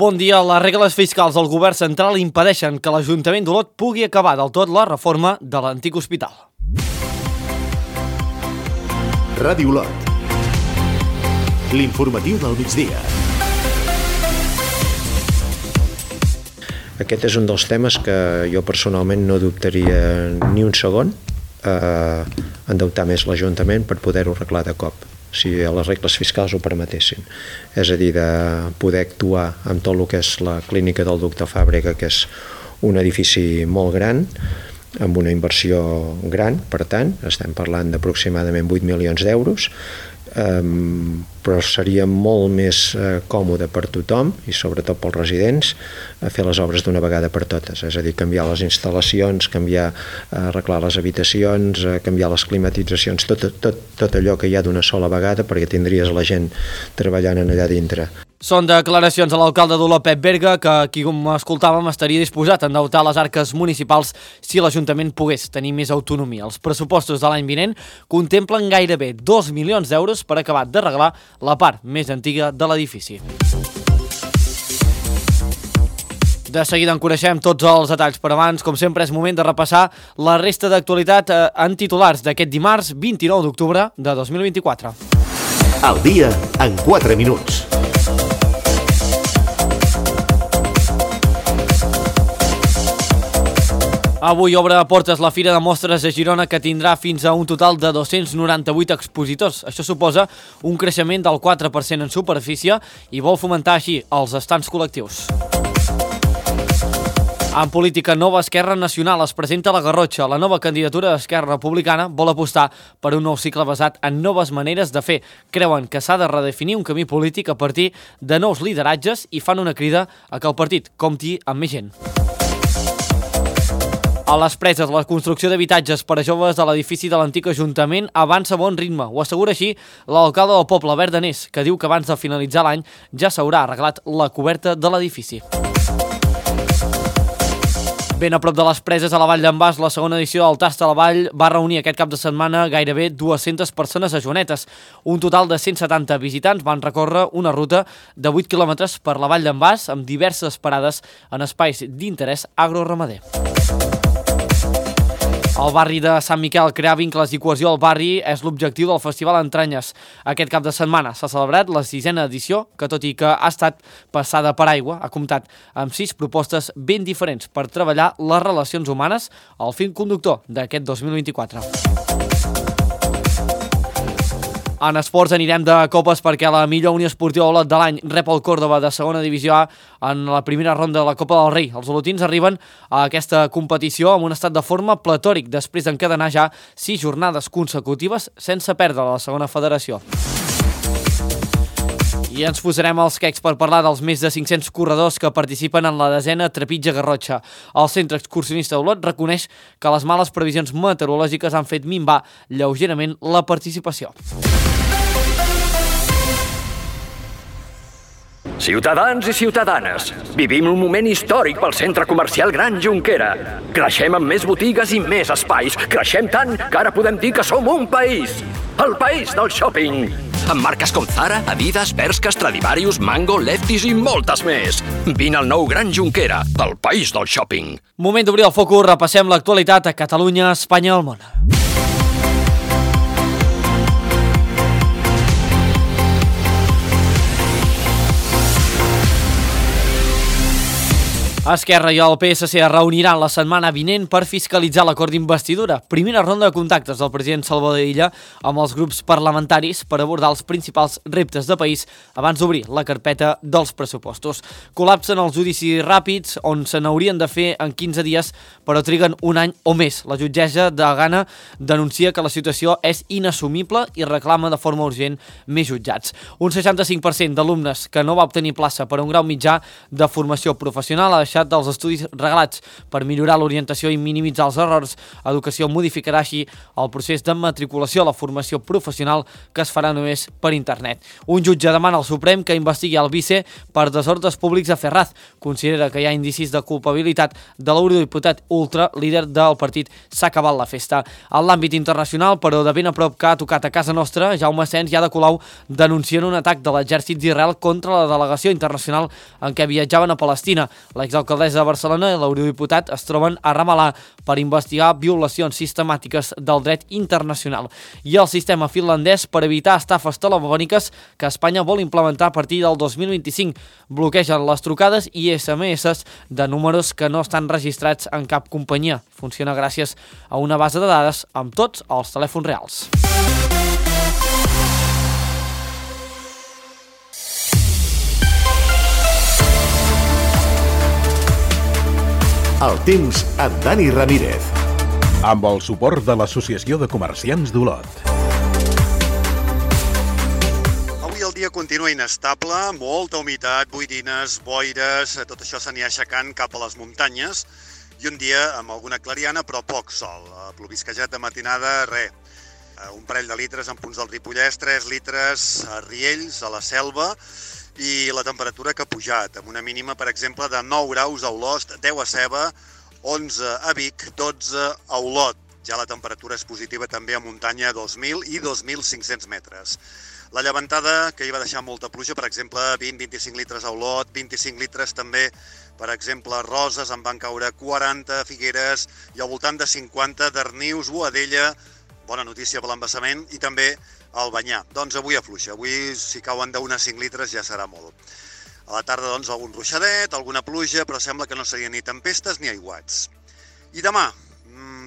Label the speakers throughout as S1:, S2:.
S1: Bon dia. Les regles fiscals del govern central impedeixen que l'Ajuntament d'Olot pugui acabar del tot la reforma de l'antic hospital.
S2: Ràdio Olot. L'informatiu del migdia.
S3: Aquest és un dels temes que jo personalment no dubtaria ni un segon a endeutar més l'Ajuntament per poder-ho arreglar de cop, si les regles fiscals ho permetessin. És a dir, de poder actuar amb tot el que és la clínica del Doctor Fàbrega, que és un edifici molt gran, amb una inversió gran, per tant, estem parlant d'aproximadament 8 milions d'euros, però seria molt més còmode per tothom i sobretot pels residents fer les obres d'una vegada per totes, és a dir, canviar les instal·lacions, arreglar les habitacions, canviar les climatitzacions, tot allò que hi ha d'una sola vegada, perquè tindries la gent treballant allà dintre.
S1: Són declaracions de l'alcalde d'Olot, Pep Berga, que, qui com escoltàvem, estaria disposat a endeutar les arques municipals si l'Ajuntament pogués tenir més autonomia. Els pressupostos de l'any vinent contemplen gairebé 2 milions d'euros per acabar d'arreglar la part més antiga de l'edifici. De seguida en coneixem tots els detalls, però abans, com sempre, és moment de repassar la resta d'actualitat en titulars d'aquest dimarts 29 d'octubre de 2024.
S2: El dia en 4 minuts.
S1: Avui obre a portes la Fira de Mostres de Girona, que tindrà fins a un total de 298 expositors. Això suposa un creixement del 4% en superfície i vol fomentar així els estants col·lectius. En política, Nova Esquerra Nacional es presenta a la Garrotxa. La nova candidatura d'Esquerra Republicana vol apostar per un nou cicle basat en noves maneres de fer. Creuen que s'ha de redefinir un camí polític a partir de nous lideratges i fan una crida a que el partit compti amb més gent. A les Preses, la construcció d'habitatges per a joves de l'edifici de l'antic Ajuntament avança a bon ritme. Ho assegura així l'alcalde del poble, Albert Danés, que diu que abans de finalitzar l'any ja s'haurà arreglat la coberta de l'edifici. Ben a prop de les Preses, a la Vall d'en Bas, la segona edició del Tast a la Vall va reunir aquest cap de setmana gairebé 200 persones a Joanetes. Un total de 170 visitants van recórrer una ruta de 8 quilòmetres per la Vall d'en Bas amb diverses parades en espais d'interès agroramader. El barri de Sant Miquel, crear vincles i cohesió al barri és l'objectiu del Festival Entranyes. Aquest cap de setmana s'ha celebrat la 6a edició, que tot i que ha estat passada per aigua, ha comptat amb 6 propostes ben diferents per treballar les relacions humanes, el fil conductor d'aquest 2024. En esports anirem de copes perquè la millor Unió Esportiva Olot de l'any rep el Córdoba de segona divisió A en la primera ronda de la Copa del Rei. Els olotins arriben a aquesta competició amb un estat de forma platòric després d'encadenar ja 6 jornades consecutives sense perdre la segona federació. I ens posarem els quecs per parlar dels més de 500 corredors que participen en la 10a Trepitja Garrotxa. El Centre Excursionista d'Olot reconeix que les males previsions meteorològiques han fet minvar lleugerament la participació.
S4: Ciutadans i ciutadanes, vivim un moment històric pel centre comercial Gran Jonquera. Creixem amb més botigues i més espais. Creixem tant que ara podem dir que som un país. El país del shopping. Amb marques com Zara, Adidas, Bershka, Stradivarius, Mango, Lefties i moltes més. Vine al nou Gran Jonquera, el país del shopping.
S1: Moment d'obrir el focus, repassem l'actualitat a Catalunya, Espanya i el món. Esquerra i el PSC es reuniran la setmana vinent per fiscalitzar l'acord d'investidura. Primera ronda de contactes del president Salvador Illa amb els grups parlamentaris per abordar els principals reptes de país abans d'obrir la carpeta dels pressupostos. Col·lapsen els judicis ràpids, on se n'haurien de fer en 15 dies, però triguen un any o més. La jutgessa de Gana denuncia que la situació és inassumible i reclama de forma urgent més jutjats. Un 65% d'alumnes que no va obtenir plaça per un grau mitjà de formació professional ha deixat deixat dels estudis reglats per millorar l'orientació i minimitzar els errors. Educació modificarà així el procés de matriculació a la formació professional que es farà només per internet. Un jutge demana al Suprem que investigui el vice per desordres públics a Ferraz. Considera que hi ha indicis de culpabilitat de l'eurodiputat ultra, líder del partit S'ha acabat la festa. En l'àmbit internacional, però de ben a prop que ha tocat a casa nostra, Jaume Sens i Ada Colau denuncien un atac de l'exèrcit d'Israel contra la delegació internacional en què viatjaven a Palestina. L'exalcaldessa de Barcelona i l'eurodiputat es troben a Ramallah per investigar violacions sistemàtiques del dret internacional. I el sistema finlandès per evitar estafes telefòniques que Espanya vol implementar a partir del 2025. Bloquegen les trucades i SMS de números que no estan registrats en cap companyia. Funciona gràcies a una base de dades amb tots els telèfons reals.
S2: El temps amb Dani Ramírez.
S5: Amb el suport de l'Associació de Comerciants d'Olot.
S6: Avui el dia continua inestable, molta humitat, boirines, boires, tot això s'anirà aixecant cap a les muntanyes i un dia amb alguna clariana però poc sol. Plovisquejat de matinada, res. Un parell de litres en punts del Ripollès, 3 litres a Riells, a la Selva, i la temperatura que ha pujat, amb una mínima, per exemple, de 9 graus a Olost, 10 a Ceba, 11 a Vic, 12 a Olot. Ja la temperatura és positiva també a muntanya, 2.000 i 2.500 metres. La llevantada, que hi va deixar molta pluja, per exemple, 20-25 litres a Olot, 25 litres també, per exemple, a Roses, en van caure 40 a Figueres i al voltant de 50 a Darnius, Boadella, bona notícia per l'embassament, i també al Banyà. Doncs avui afluixa. Avui, si cauen d'1 a 5 litres, ja serà molt. A la tarda, doncs, algun ruixadet, alguna pluja, però sembla que no serien ni tempestes ni aiguats. I demà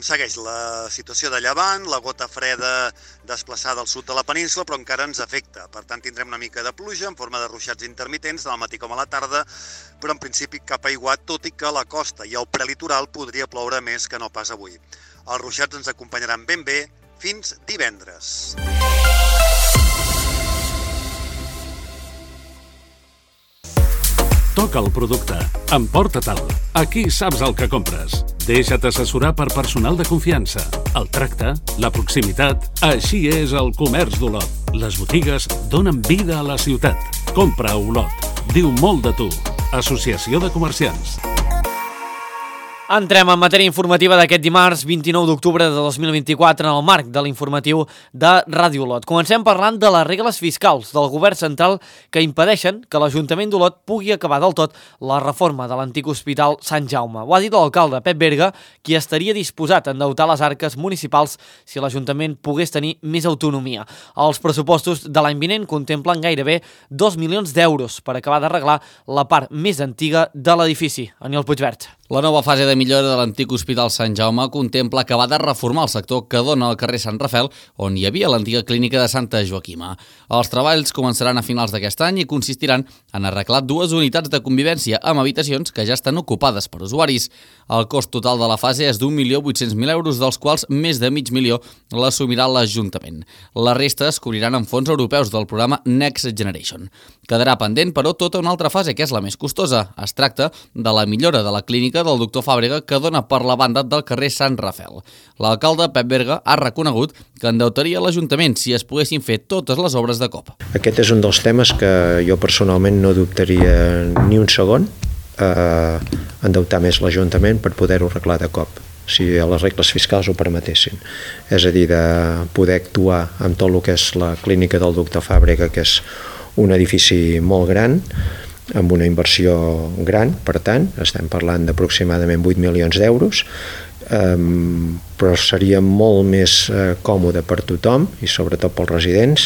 S6: segueix la situació de llevant, la gota freda desplaçada al sud de la península, però encara ens afecta. Per tant, tindrem una mica de pluja en forma de ruixats intermitents, al matí com a la tarda, però en principi cap aiguat, tot i que a la costa i al prelitoral podria ploure més que no pas avui. Els ruixats ens acompanyaran ben bé fins divendres.
S7: Toca el producte. Emporta-te'l. Aquí saps el que compres. Deixa't assessorar per personal de confiança. El tracte, la proximitat... Així és el comerç d'Olot. Les botigues donen vida a la ciutat. Compra a Olot. Diu molt de tu. Associació de Comerciants.
S1: Entrem en matèria informativa d'aquest dimarts 29 d'octubre de 2024 en el marc de l'informatiu de Ràdio Olot. Comencem parlant de les regles fiscals del govern central que impedeixen que l'Ajuntament d'Olot pugui acabar del tot la reforma de l'antic hospital Sant Jaume. Ho ha dit l'alcalde Pep Berga, qui estaria disposat a endeutar les arques municipals si l'Ajuntament pogués tenir més autonomia. Els pressupostos de l'any vinent contemplen gairebé 2 milions d'euros per acabar d'arreglar la part més antiga de l'edifici. Aniol Puigvert.
S8: La nova fase de millora de l'antic Hospital Sant Jaume contempla acabar de reformar el sector que dona al carrer Sant Rafel, on hi havia l'antiga clínica de Santa Joaquima. Els treballs començaran a finals d'aquest any i consistiran en arreglar 2 unitats de convivència amb habitacions que ja estan ocupades per usuaris. El cost total de la fase és d'1.800.000 euros, dels quals més de mig milió l'assumirà l'Ajuntament. La resta es cobriran amb fons europeus del programa Next Generation. Quedarà pendent, però, tota una altra fase, que és la més costosa. Es tracta de la millora de la clínica del doctor Fàbrega, que dona per la banda del carrer Sant Rafel. L'alcalde Pep Berga ha reconegut que endeutaria l'Ajuntament si es poguessin fer totes les obres de cop.
S3: Aquest és un dels temes que jo personalment no dubtaria ni un segon endeutar més l'Ajuntament per poder-ho arreglar de cop, si les regles fiscals ho permetessin. És a dir, de poder actuar amb tot el que és la clínica del doctor Fàbrega, que és un edifici molt gran, amb una inversió gran, per tant, estem parlant d'aproximadament 8 milions d'euros, però seria molt més còmode per tothom i sobretot pels residents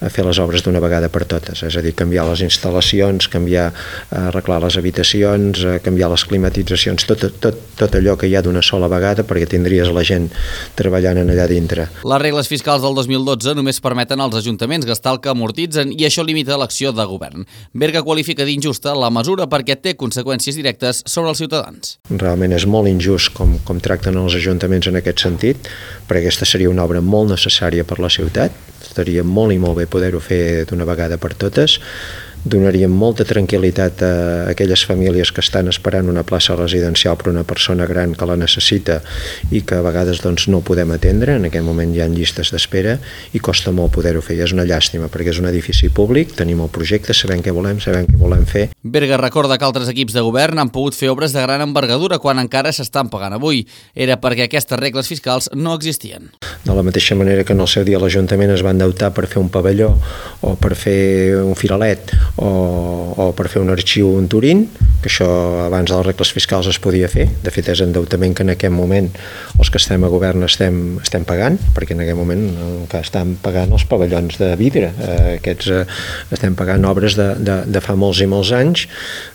S3: fer les obres d'una vegada per totes, és a dir, canviar les instal·lacions, arreglar les habitacions, canviar les climatitzacions, tot allò que hi ha d'una sola vegada, perquè tindries la gent treballant allà dintre.
S8: Les regles fiscals del 2012 només permeten als ajuntaments gastar el que amortitzen i això limita l'acció de govern. Berga qualifica d'injusta la mesura perquè té conseqüències directes sobre els ciutadans.
S3: Realment és molt injust com tracten els ajuntaments en aquest sentit, perquè aquesta seria una obra molt necessària per la ciutat, estaria molt i molt bé poder-ho fer d'una vegada per totes. donaríem molta tranquil·litat a aquelles famílies que estan esperant una plaça residencial per una persona gran que la necessita i que a vegades doncs, no podem atendre. En aquest moment hi ha llistes d'espera i costa molt poder-ho fer. I és una llàstima perquè és un edifici públic, tenim el projecte, sabem què volem fer.
S8: Berga recorda que altres equips de govern han pogut fer obres de gran envergadura quan encara s'estan pagant avui. Era perquè aquestes regles fiscals no existien.
S3: De la mateixa manera que en el seu dia l'Ajuntament es va endeutar per fer un pavelló o per fer un firalet o per fer un arxiu en Turín, que això abans de les regles fiscals es podia fer. De fet, és endeutament que en aquest moment els que estem a govern estem pagant, perquè en aquest moment que estan pagant els pavellons de vidre. Aquests estem pagant obres de fa molts i molts anys,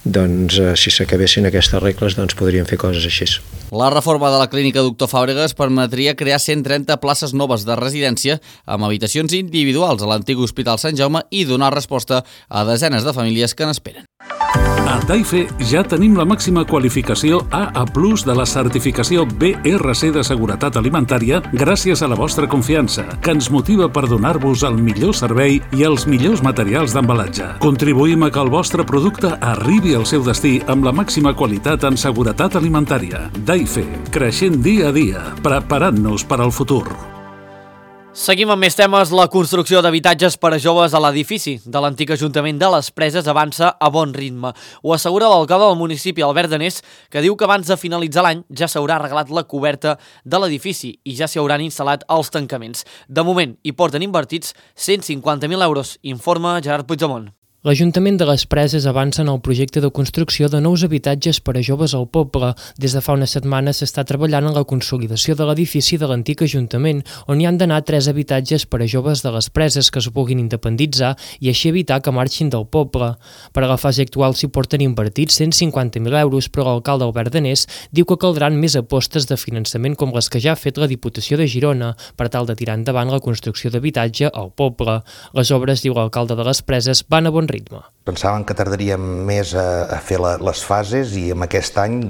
S3: doncs si s'acabessin aquestes regles doncs podríem fer coses així.
S8: La reforma de la clínica Doctor Fàbregas permetria crear 130 places noves de residència amb habitacions individuals a l'antic Hospital Sant Jaume i donar resposta a desenes de famílies que n'esperen.
S7: A Daife ja tenim la màxima qualificació AA+ de la certificació BRC de seguretat alimentària gràcies a la vostra confiança, que ens motiva per donar-vos el millor servei i els millors materials d'embalatge. Contribuïm a que el vostre producte arribi al seu destí amb la màxima qualitat en seguretat alimentària. Daife, creixent dia a dia, preparant-nos per al futur.
S1: Seguim amb més temes. La construcció d'habitatges per a joves a l'edifici de l'antic Ajuntament de les Preses avança a bon ritme. Ho assegura l'alcalde del municipi, Albert Danés, que diu que abans de finalitzar l'any ja s'haurà arreglat la coberta de l'edifici i ja s'hi hauran instal·lat els tancaments. De moment hi porten invertits 150.000 euros, informa Gerard Puigdemont.
S9: L'Ajuntament de les Preses avança en el projecte de construcció de nous habitatges per a joves al poble. Des de fa una setmana s'està treballant en la consolidació de l'edifici de l'antic Ajuntament, on hi han d'anar 3 habitatges per a joves de les Preses que es puguin independitzar i així evitar que marxin del poble. Per a la fase actual s'hi porten invertits 150.000 euros, però l'alcalde Albert Danés diu que caldran més apostes de finançament com les que ja ha fet la Diputació de Girona per tal de tirar endavant la construcció d'habitatge al poble. Les obres, diu l'alcalde de les Preses, van a bon ritme.
S10: Pensàvem que tardaríem més a fer les fases i en aquest any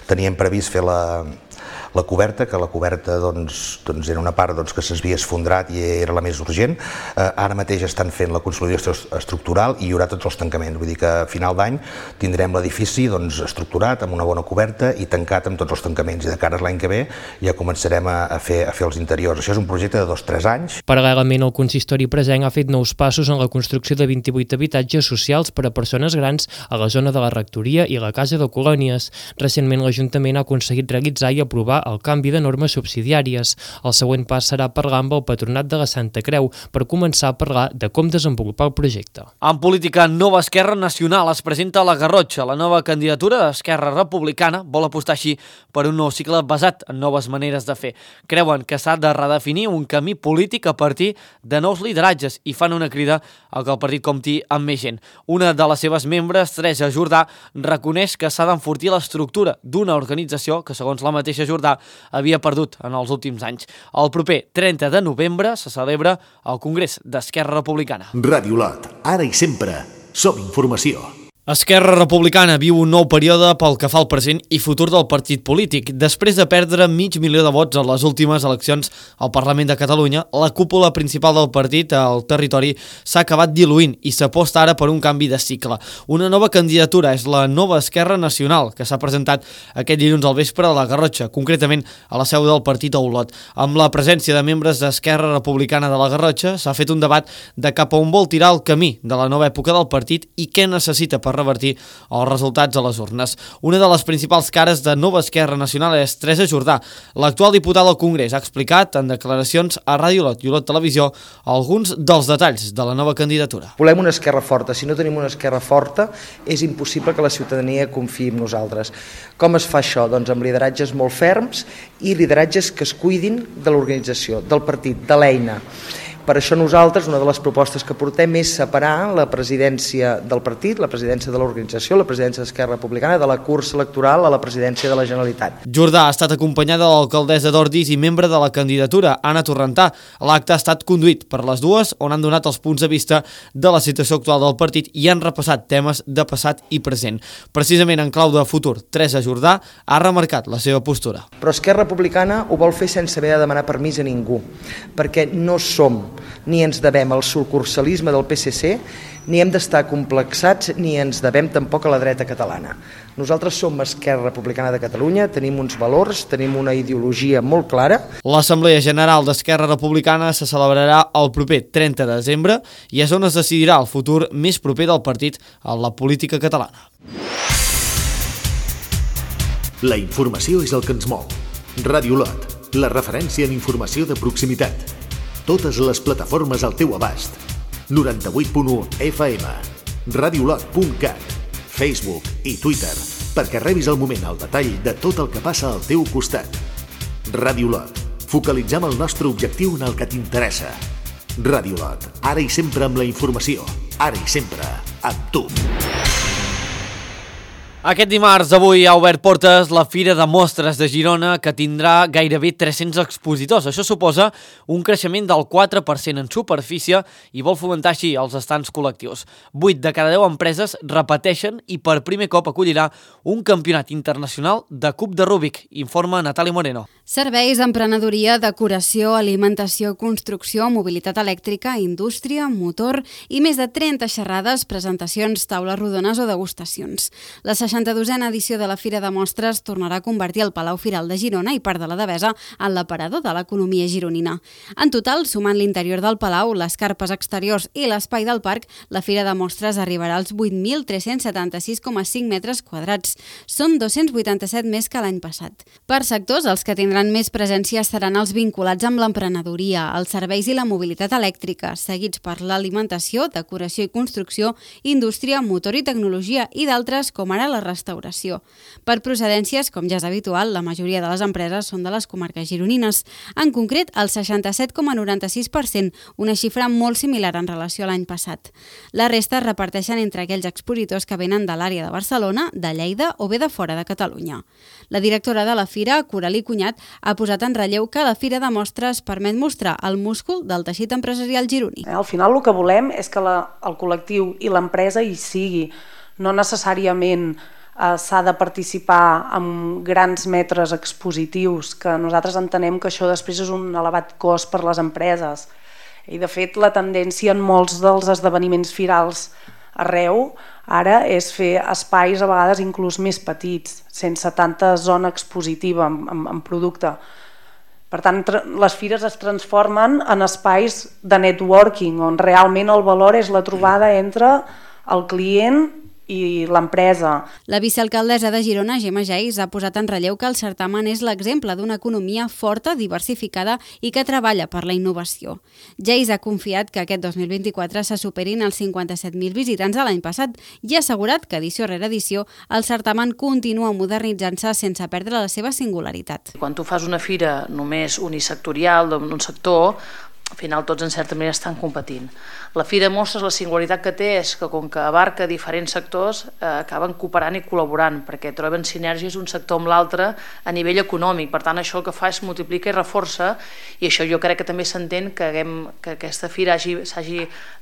S10: teníem previst fer la coberta, que la coberta era una part que s'havia esfondrat i era la més urgent. Ara mateix estan fent la consolidació estructural i hi haurà tots els tancaments. Vull dir que a final d'any tindrem l'edifici estructurat, amb una bona coberta i tancat amb tots els tancaments. I de cara a l'any que ve ja començarem a fer els interiors. Això és un projecte de 2-3 anys.
S9: Paral·lelament, el consistori presenc ha fet nous passos en la construcció de 28 habitatges socials per a persones grans a la zona de la rectoria i la casa de colònies. Recentment, l'Ajuntament ha aconseguit realitzar i aprovar el canvi de normes subsidiàries. El següent pas serà parlar amb el Patronat de la Santa Creu per començar a parlar de com desenvolupar el projecte.
S1: En política, Nova Esquerra Nacional es presenta a la Garrotxa. La nova candidatura d'Esquerra Republicana vol apostar així per un nou cicle basat en noves maneres de fer. Creuen que s'ha de redefinir un camí polític a partir de nous lideratges i fan una crida a que el partit compti amb més gent. Una de les seves membres, Teresa Jordà, reconeix que s'ha d'enfortir l'estructura d'una organització que, segons la mateixa Jordà, havia perdut en els últims anys. El proper 30 de novembre se celebra el Congrés d'Esquerra Republicana.
S2: Ràdio Lot, ara i sempre, som informació.
S1: Esquerra Republicana viu un nou període pel que fa al present i futur del partit polític. Després de perdre 500.000 de vots en les últimes eleccions al Parlament de Catalunya, la cúpula principal del partit al territori s'ha acabat diluint i s'aposta ara per un canvi de cicle. Una nova candidatura és la Nova Esquerra Nacional, que s'ha presentat aquest dilluns al vespre a la Garrotxa, concretament a la seu del partit a Olot. Amb la presència de membres d'Esquerra Republicana de la Garrotxa, s'ha fet un debat de cap a on vol tirar el camí de la nova època del partit i què necessita per revertir els resultats a les urnes. Una de les principals cares de Nova Esquerra Nacional és Teresa Jordà. L'actual diputada al Congrés ha explicat en declaracions a Ràdio Lot i Olot Televisió alguns dels detalls de la nova candidatura.
S11: Volem una esquerra forta. Si no tenim una esquerra forta, és impossible que la ciutadania confiï en nosaltres. Com es fa això? Doncs amb lideratges molt ferms i lideratges que es cuidin de l'organització, del partit, de l'eina. Per això nosaltres, una de les propostes que portem és separar la presidència del partit, la presidència de l'organització, la presidència d'Esquerra Republicana, de la cursa electoral a la presidència de la Generalitat.
S1: Jordà ha estat acompanyada de l'alcaldessa d'Ordis i membre de la candidatura, Anna Torrentà. L'acte ha estat conduït per les dues, on han donat els punts de vista de la situació actual del partit i han repassat temes de passat i present. Precisament en clau de futur, Teresa Jordà ha remarcat la seva postura.
S11: Però Esquerra Republicana ho vol fer sense haver de demanar permís a ningú, perquè no som ni ens devem al sucursalisme del PSC ni hem d'estar complexats ni ens devem tampoc a la dreta catalana. Nosaltres som Esquerra Republicana de Catalunya, tenim uns valors, tenim una ideologia molt clara.
S1: L'Assemblea General d'Esquerra Republicana se celebrarà el proper 30 de desembre i és on es decidirà el futur més proper del partit a la política catalana.
S2: La informació és el que ens mou. Ràdio Lot, la referència en informació de proximitat. Totes les plataformes al teu abast. 98.1 FM, radiolot.cat, Facebook i Twitter, perquè rebis al moment el detall de tot el que passa al teu costat. Ràdio Lot, focalitzem el nostre objectiu en el que t'interessa. Ràdio Lot, ara i sempre amb la informació, ara i sempre amb tu.
S1: Aquest dimarts, avui, ha obert portes la Fira de Mostres de Girona, que tindrà gairebé 300 expositors. Això suposa un creixement del 4% en superfície i vol fomentar així els estants col·lectius. 8 de cada 10 empreses repeteixen i per primer cop acollirà un campionat internacional de cub de Rubik, informa Natàlia Moreno.
S12: Serveis, emprenedoria, decoració, alimentació, construcció, mobilitat elèctrica, indústria, motor i més de 30 xerrades, presentacions, taules rodones o degustacions. La 62a edició de la Fira de Mostres tornarà a convertir el Palau Firal de Girona i part de la Devesa en l'aparador de l'economia gironina. En total, sumant l'interior del Palau, les carpes exteriors i l'espai del parc, la Fira de Mostres arribarà als 8.376,5 metres quadrats. Són 287 més que l'any passat. Per sectors, els que tindran més presència seran els vinculats amb l'emprenedoria, els serveis i la mobilitat elèctrica, seguits per l'alimentació, decoració i construcció, indústria, motor i tecnologia i d'altres com ara la restauració. Per procedències, com ja és habitual, la majoria de les empreses són de les comarques gironines. En concret, el 67,96%, una xifra molt similar en relació a l'any passat. La resta es reparteixen entre aquells expositors que venen de l'àrea de Barcelona, de Lleida o bé de fora de Catalunya. La directora de la Fira, Coralí Cunyat, ha posat en relleu que la Fira de Mostres permet mostrar el múscul del teixit empresarial gironí.
S13: Al final el que volem és que el col·lectiu i l'empresa hi sigui. No necessàriament s'ha de participar amb grans metres expositius, que nosaltres entenem que això després és un elevat cost per les empreses. I de fet la tendència en molts dels esdeveniments firals arreu ara és fer espais a vegades inclús més petits, sense tanta zona expositiva en producte. Per tant, les fires es transformen en espais de networking, on realment el valor és la trobada entre el client i l'empresa.
S12: La vicealcaldessa de Girona, Gemma Geis, ha posat en relleu que el certamen és l'exemple d'una economia forta, diversificada i que treballa per la innovació. Geis ha confiat que aquest 2024 se superin els 57.000 visitants de l'any passat i ha assegurat que edició rere edició el certamen continua modernitzant-se sense perdre la seva singularitat.
S14: Quan tu fas una fira només unisectorial d'un sector, al final tots en certa manera estan competint. La Fira de Mostres, la singularitat que té és que com que abarca diferents sectors acaben cooperant i col·laborant perquè troben sinergies un sector amb l'altre a nivell econòmic. Per tant, això el que fa és multiplica i reforça, i això jo crec que també s'entén que aquesta fira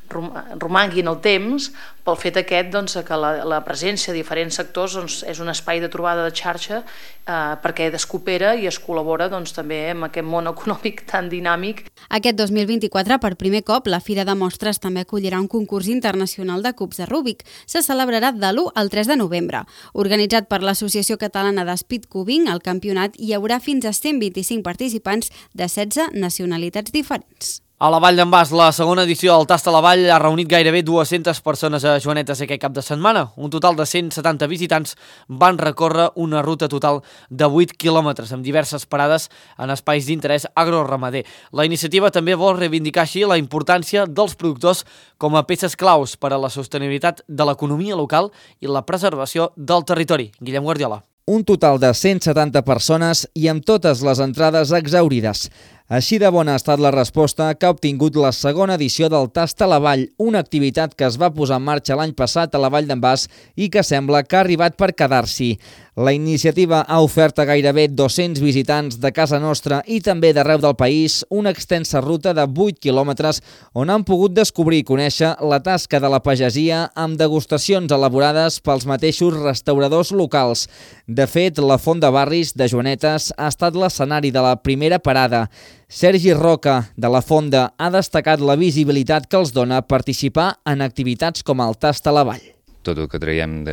S14: romangui en el temps pel fet aquest que la presència de diferents sectors és un espai de trobada de xarxa perquè es coopera i es col·labora també amb aquest món econòmic tan dinàmic.
S12: Aquest 2024, per primer cop, la Fira de Mostres també acollirà un concurs internacional de cubs de Rubik. Se celebrarà de l'1 al 3 de novembre. Organitzat per l'Associació Catalana de Speed Cubing, al campionat hi haurà fins a 125 participants de 16 nacionalitats diferents.
S1: A la Vall d'en Bas, la segona edició del Tast a la Vall ha reunit gairebé 200 persones a Joanetes aquest cap de setmana. Un total de 170 visitants van recórrer una ruta total de 8 quilòmetres amb diverses parades en espais d'interès agroramader. La iniciativa també vol reivindicar així la importància dels productors com a peces claus per a la sostenibilitat de l'economia local i la preservació del territori. Guillem Guardiola.
S15: Un total de 170 persones i amb totes les entrades exhaurides. Així de bona ha estat la resposta que ha obtingut la segona edició del Tast a la Vall, una activitat que es va posar en marxa l'any passat a la Vall d'en Bas i que sembla que ha arribat per quedar-s'hi. La iniciativa ha ofert a gairebé 200 visitants de casa nostra i també d'arreu del país una extensa ruta de 8 quilòmetres on han pogut descobrir i conèixer la tasca de la pagesia amb degustacions elaborades pels mateixos restauradors locals. De fet, la Font de Barris de Joanetes ha estat l'escenari de la primera parada. Sergi Roca, de la Fonda, ha destacat la visibilitat que els dona participar en activitats com el Tast a la Vall.
S16: Tot el que traiem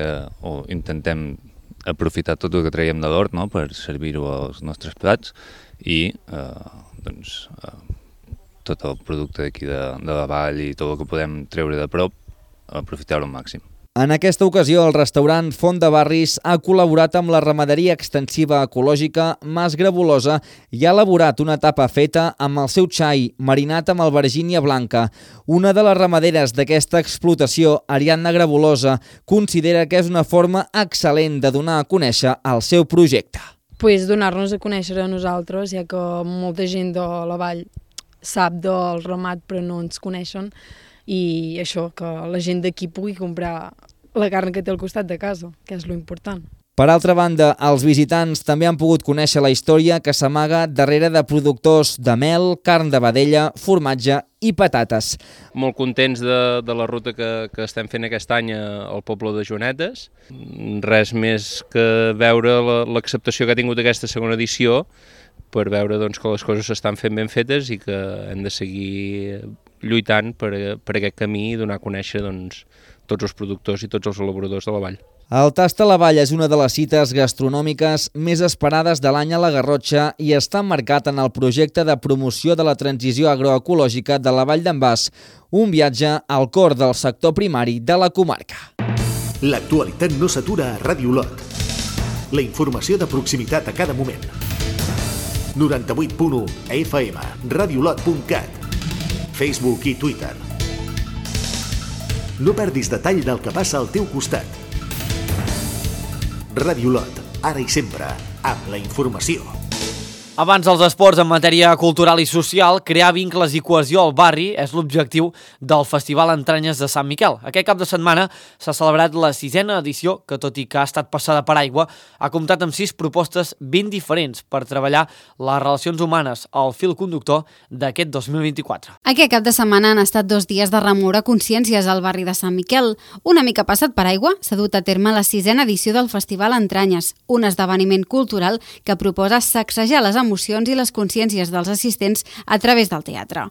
S16: o intentem aprofitar tot el que traiem de l'hort, no?, per servir-ho als nostres plats i tot el producte d'aquí de la vall i tot el que podem treure de prop, aprofitar-ho al màxim.
S15: En aquesta ocasió, el restaurant Font de Barris ha col·laborat amb la ramaderia extensiva ecològica Mas Grabulosa i ha elaborat una tapa feta amb el seu xai, marinat amb albergínia blanca. Una de les ramaderes d'aquesta explotació, Ariadna Grabulosa, considera que és una forma excel·lent de donar a conèixer el seu projecte.
S17: Donar-nos a conèixer a nosaltres, ja que molta gent de la vall sap del ramat però no ens coneixen, i això, que la gent d'aquí pugui comprar la carn que té al costat de casa, que és lo important.
S15: Per altra banda, els visitants també han pogut conèixer la història que s'amaga darrere de productors de mel, carn de vedella, formatge i patates.
S18: Molt contents de la ruta que estem fent aquest any al poble de Joanetes. Res més que veure l'acceptació que ha tingut aquesta segona edició per veure que les coses s'estan fent ben fetes i que hem de seguir lluitant per aquest camí i donar a conèixer tots els productors i tots els elaboradors de la vall.
S15: El Tast a la Vall és una de les cites gastronòmiques més esperades de l'any a la Garrotxa i està emmarcat en el projecte de promoció de la transició agroecològica de la Vall d'en Bas, un viatge al cor del sector primari de la comarca.
S2: L'actualitat no s'atura a Ràdio Olot. La informació de proximitat a cada moment. 98.1 FM, radiolot.cat, Facebook i Twitter. No perdis detall del que passa al teu costat. Ràdio Olot, ara i sempre, amb la informació.
S1: Abans dels esports en matèria cultural i social, crear vincles i cohesió al barri és l'objectiu del Festival Entranyes de Sant Miquel. Aquest cap de setmana s'ha celebrat la 6ª edició, que tot i que ha estat passada per aigua, ha comptat amb 6 propostes ben diferents per treballar les relacions humanes al fil conductor d'aquest 2024.
S12: Aquest cap de setmana han estat 2 dies de remoure consciències al barri de Sant Miquel. Una mica passat per aigua, s'ha dut a terme la 6ª edició del Festival Entranyes, un esdeveniment cultural que proposa sacsejar les emocions i les consciències dels assistents a través del teatre.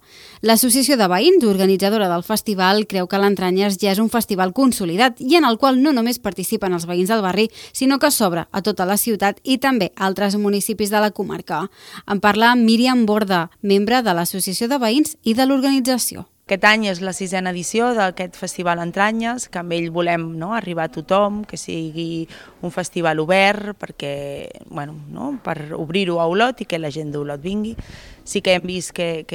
S12: L'Associació de Veïns, organitzadora del festival, creu que l'Entranyes ja és un festival consolidat i en el qual no només participen els veïns del barri, sinó que s'obre a tota la ciutat i també a altres municipis de la comarca. En parla Míriam Borda, membre de l'Associació de Veïns i de l'organització.
S19: Aquest any és la 6ª edició d'aquest Festival Entranyes, que amb ell volem arribar a tothom, que sigui un festival obert perquè, per obrir-ho a Olot i que la gent d'Olot vingui. Sí que hem vist que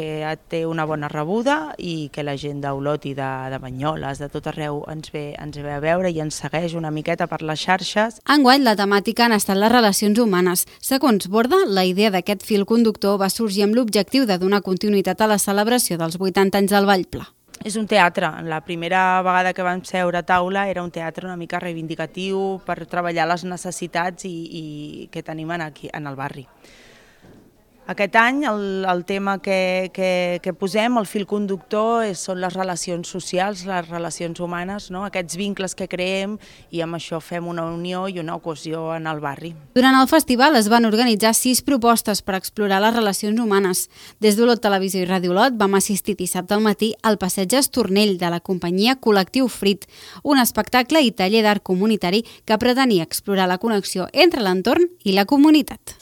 S19: té una bona rebuda i que la gent d'Olot i de Banyoles, de tot arreu, ens ve a veure i ens segueix una miqueta per les xarxes.
S12: Enguany la temàtica han estat les relacions humanes. Segons Borda, la idea d'aquest fil conductor va sorgir amb l'objectiu de donar continuïtat a la celebració dels 80 anys del Vallpla.
S19: És un teatre. La primera vegada que vam seure a taula era un teatre una mica reivindicatiu per treballar les necessitats i que tenim aquí en el barri. Aquest any el tema que posem, el fil conductor, són les relacions socials, les relacions humanes, aquests vincles que creem i amb això fem una unió i una cohesió en el barri.
S12: Durant el festival es van organitzar 6 propostes per explorar les relacions humanes. Des d'Olot Televisió i Ràdio Olot vam assistir dissabte al matí al passeig Estornell de la companyia Col·lectiu Frit, un espectacle i taller d'art comunitari que pretenia explorar la connexió entre l'entorn i la comunitat.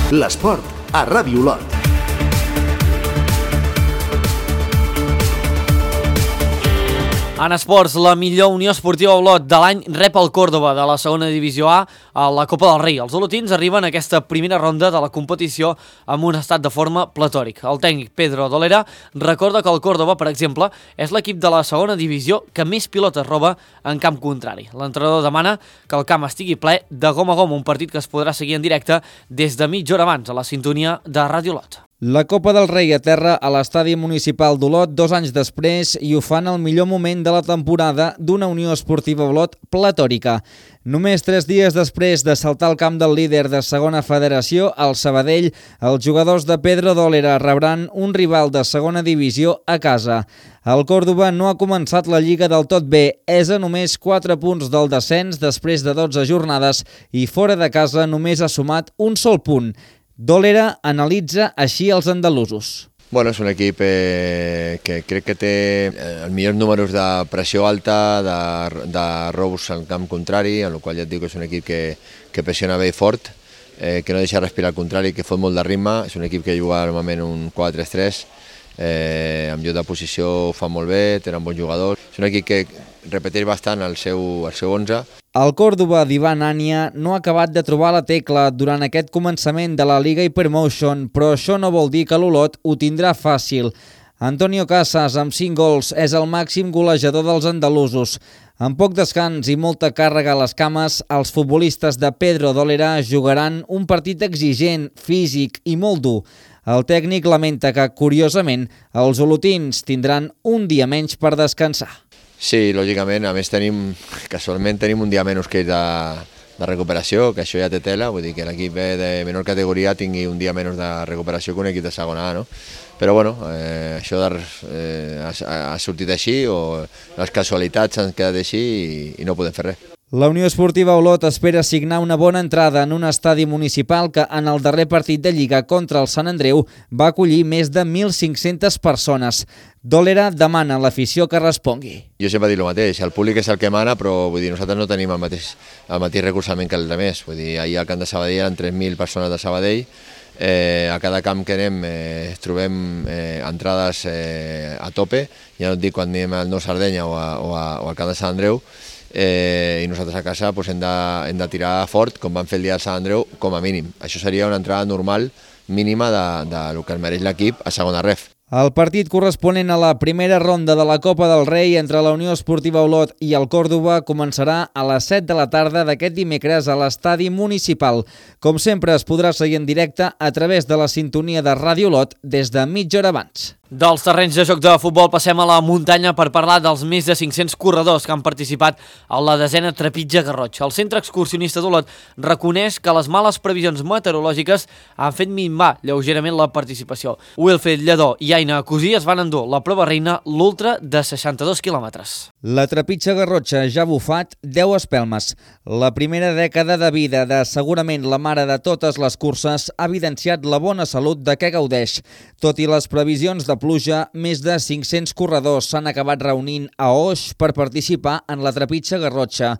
S2: L'esport a Ràdio Olot.
S1: En esports, la millor Unió Esportiva Olot de l'any rep el Córdoba de la segona divisió A a la Copa del Rei. Els olotins arriben a aquesta primera ronda de la competició amb un estat de forma platòric. El tècnic Pedro Dolera recorda que el Córdoba, per exemple, és l'equip de la segona divisió que més pilotes roba en camp contrari. L'entrenador demana que el camp estigui ple de gom a gom, un partit que es podrà seguir en directe des de mitja hora abans a la sintonia de Ràdio Olot.
S15: La Copa del Rei aterra a l'estadi municipal d'Olot 2 anys després i ho fan al millor moment de la temporada d'una Unió Esportiva Olot platòrica. Només 3 dies després de saltar al camp del líder de segona federació, el Sabadell, els jugadors de Pedro Dolera rebran un rival de segona divisió a casa. El Córdoba no ha començat la Lliga del tot bé, és a només 4 punts del descens després de 12 jornades i fora de casa només ha sumat un sol punt. Dòlera analitza així els andalusos.
S20: Bueno, és un equip que crec que té els millors números de pressió alta, de robos al camp contrari, en el qual ja et dic que és un equip que pressiona bé i fort, que no deixa respirar al contrari, que fot molt de ritme. És un equip que juga normalment un 4-3-3, amb lloc de posició ho fa molt bé, tenen bons jugadors. És un equip que repeteix bastant el seu 11.
S15: El Córdoba d'Ivan Ania no ha acabat de trobar la tecla durant aquest començament de la Liga Hypermotion, però això no vol dir que l'Olot ho tindrà fàcil. Antonio Casas, amb 5 gols, és el màxim golejador dels andalusos. Amb poc descans i molta càrrega a les cames, els futbolistes de Pedro Dòlera jugaran un partit exigent, físic i molt dur. El tècnic lamenta que, curiosament, els olotins tindran un dia menys per descansar.
S20: Sí, lògicament, a més casualment tenim un dia menys que de recuperació, que això ja té tela, vull dir que l'equip de menor categoria tingui un dia menys de recuperació que un equip de segona A, no? Però bueno, això ha sortit així, o les casualitats han quedat així i no podem fer res.
S15: La Unió Esportiva Olot espera signar una bona entrada en un estadi municipal que en el darrer partit de Lliga contra el Sant Andreu va acollir més de 1.500 persones. Dòlera demana a l'afició que respongui.
S20: Jo sempre dic el mateix, el públic és el que mana, però vull dir, nosaltres no tenim el mateix recolzament que els altres. Vull dir, ahir al camp de Sabadell eren 3.000 persones de Sabadell, a cada camp que anem trobem entrades a tope, ja no et dic quan anem al Nou Sardenya o al camp de Sant Andreu, i nosaltres a casa hem de tirar fort, com vam fer el dia del Sant Andreu, com a mínim. Això seria una entrada normal, mínima, del que es mereix l'equip a segona ref.
S15: El partit corresponent a la primera ronda de la Copa del Rei entre la Unió Esportiva Olot i el Córdoba començarà a les 7 de la tarda d'aquest dimecres a l'estadi municipal. Com sempre, es podrà seguir en directe a través de la sintonia de Ràdio Olot des de mitja hora abans.
S1: Dels terrenys de joc de futbol passem a la muntanya per parlar dels més de 500 corredors que han participat a la 10a Trepitja Garrotxa. El centre excursionista d'Olot reconeix que les males previsions meteorològiques han fet minvar lleugerament la participació. Wilfred Lledó i Aina Cosí es van endur la prova reina, l'ultra de 62 quilòmetres.
S15: La Trepitja Garrotxa ja ha bufat 10 espelmes. La primera dècada de vida de segurament la mare de totes les curses ha evidenciat la bona salut de què gaudeix. Tot i les previsions de pluja, més de 500 corredors s'han acabat reunint a Oix per participar en la Trepitja Garrotxa.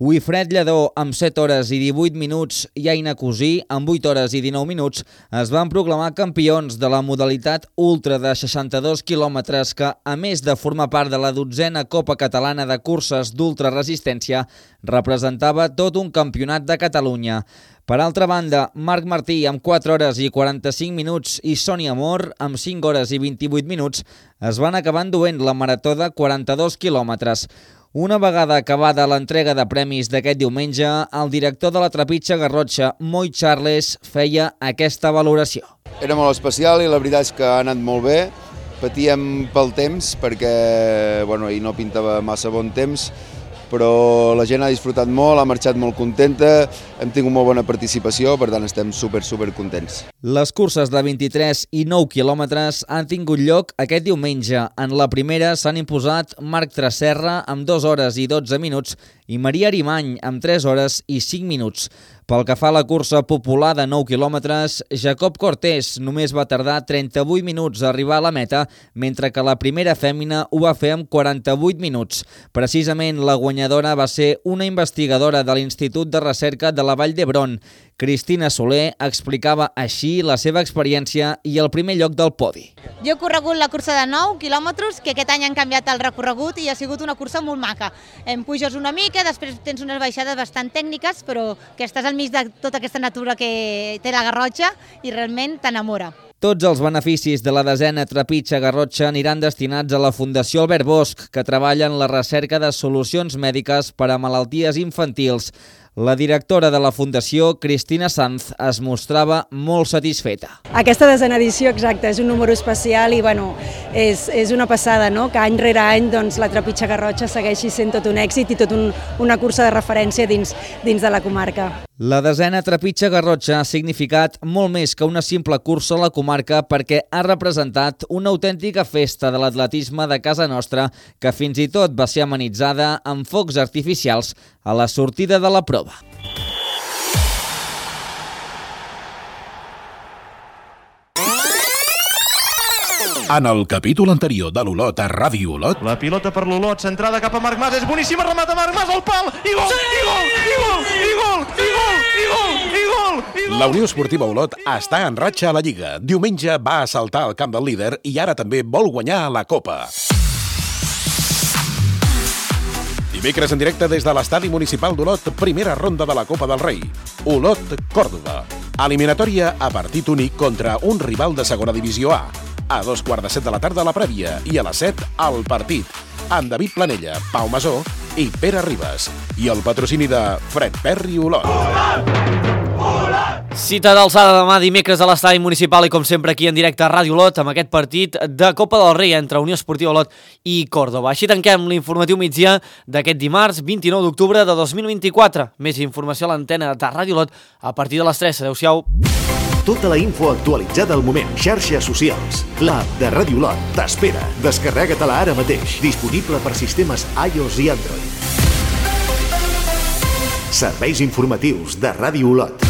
S15: Wilfred Lledó, amb 7 hores i 18 minuts, i Aina Cosí, amb 8 hores i 19 minuts, es van proclamar campions de la modalitat ultra de 62 quilòmetres que, a més de formar part de la 12a Copa Catalana de Curses d'Ultraresistència, representava tot un campionat de Catalunya. Per altra banda, Marc Martí, amb 4 hores i 45 minuts, i Sònia Mor, amb 5 hores i 28 minuts, es van acabar enduent la marató de 42 quilòmetres. Una vegada acabada l'entrega de premis d'aquest diumenge, el director de la Trepitja Garrotxa, Moi Charles, feia aquesta valoració.
S21: Era molt especial i la veritat és que ha anat molt bé. Patíem pel temps perquè ahir no pintava massa bon temps, però la gent ha disfrutat molt, ha marxat molt contenta, hem tingut molt bona participació, per tant estem super contents.
S15: Les curses de 23 i 9 quilòmetres han tingut lloc aquest diumenge. En la primera s'han imposat Marc Tresserra amb 2 hores i 12 minuts i Maria Arimany amb 3 hores i 5 minuts. Pel que fa a la cursa popular de 9 quilòmetres, Jacob Cortés només va tardar 38 minuts a arribar a la meta, mentre que la primera fèmina ho va fer amb 48 minuts. Precisament la guanyadora va ser una investigadora de l'Institut de Recerca de la Vall d'Hebron. Cristina Soler explicava així la seva experiència i el primer lloc del podi.
S22: Jo he corregut la cursa de 9 quilòmetres, que aquest any han canviat el recorregut i ha sigut una cursa molt maca. Em puges una mica, després tens unes baixades bastant tècniques, però que estàs al mig de tota aquesta natura que té la Garrotxa i realment t'enamora.
S15: Tots els beneficis de la 10a Trepitja Garrotxa aniran destinats a la Fundació Albert Bosch, que treballa en la recerca de solucions mèdiques per a malalties infantils. La directora de la Fundació, Cristina Sanz, es mostrava molt satisfeta.
S23: Aquesta 10a edició, exacte, és un número especial i és una passada, no? Que any rere any la Trepitja Garrotxa segueixi sent tot un èxit i tot una cursa de referència dins de la comarca.
S15: La 10a Trepitja Garrotxa ha significat molt més que una simple cursa a la comarca perquè ha representat una autèntica festa de l'atletisme de casa nostra que fins i tot va ser amenitzada amb focs artificials a la sortida de la prova.
S4: En el capítol anterior de l'Olot a Ràdio Olot...
S5: La pilota per l'Olot, centrada cap a Marc Mas, és boníssima, remata Marc Mas al pal, i gol, i gol, i gol, i gol, i gol, i gol, i gol, i gol.
S4: La Unió Esportiva Olot està en ratxa a la Lliga. Diumenge va assaltar el camp del líder i ara també vol guanyar la Copa. Dimecres en directe des de l'Estadi Municipal d'Olot, primera ronda de la Copa del Rei. Olot-Còrdova. Eliminatòria a partit únic contra un rival de segona divisió A. A 2:15 de la tarda la prèvia i a les 7 el partit. Amb David Planella, Pau Masó i Pere Ribas. I el patrocini de Fred Perry Olot.
S1: Cita d'alçada demà dimecres a l'Estadi Municipal i com sempre aquí en directe a Ràdio Olot amb aquest partit de Copa del Rei entre Unió Esportiva Olot i Còrdova. Així tanquem l'informatiu migdia d'aquest dimarts 29 d'octubre de 2024. Més informació a l'antena de Ràdio Olot a partir de les 3. Adéu-siau.
S2: Tota la info actualitzada al moment. Xarxes socials. L'app de Ràdio Olot t'espera. Descarrega-te-la ara mateix. Disponible per sistemes iOS i Android. Serveis informatius de Ràdio Olot.